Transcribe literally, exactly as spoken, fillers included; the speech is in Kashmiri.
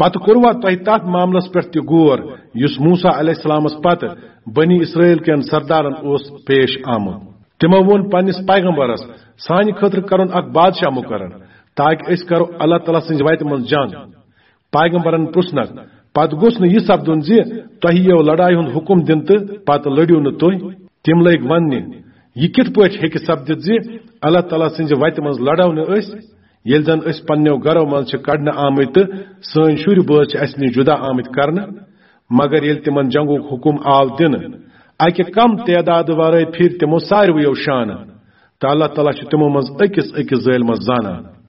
پتہٕ کوٚروا تۄہہِ تتھ معاملس پٮ۪ٹھ تہِ غور، یُس موسیٰ علیہ السلامس پتہٕ بنی اسرائیل کٮ۪ن سردارن اوس پیش آمُت؟ تِمو ووٚن پننِس پیغمبرس، سانہِ خٲطرٕ کرُن اکھ بادشاہ مقرر، تاکہ أسۍ کرو اللہ تعالیٰ سٕنزِ وتہِ منز جنگ۔ پیغمبرن پرژھنکھ، پتہٕ گوٚژھ نہٕ یہِ سپدُن زِ تۄہہِ یِیو لڑایہِ ہُند حکم دِنہٕ تہٕ پتہٕ لٔڑِو نہٕ تُہۍ؟ تِم لٔگۍ وننہِ، یہِ کِتھ پٲٹھۍ ہیکہِ سپدِتھ زِ اللہ تعالیٰ سٕنزِ وتہِ منز لڑو نہٕ أسۍ، ییلہِ زن أسۍ پننیو گرو منز چھِ کڑنہٕ آمٕتۍ تہٕ سٲنۍ شُرۍ بٲژ چھِ اسہِ نِش جدا آمٕتۍ کرنہٕ؟ مگر ییلہِ تِمن جنگُک حکم آو دِنہٕ، اکہِ کم تعداد ورٲے پھِرۍ تِمو ساروٕیو شانہٕ، تہٕ اللہ تعالیٰ چھُ تِمو منز أکِس أکِس ظٲلمس زانان۔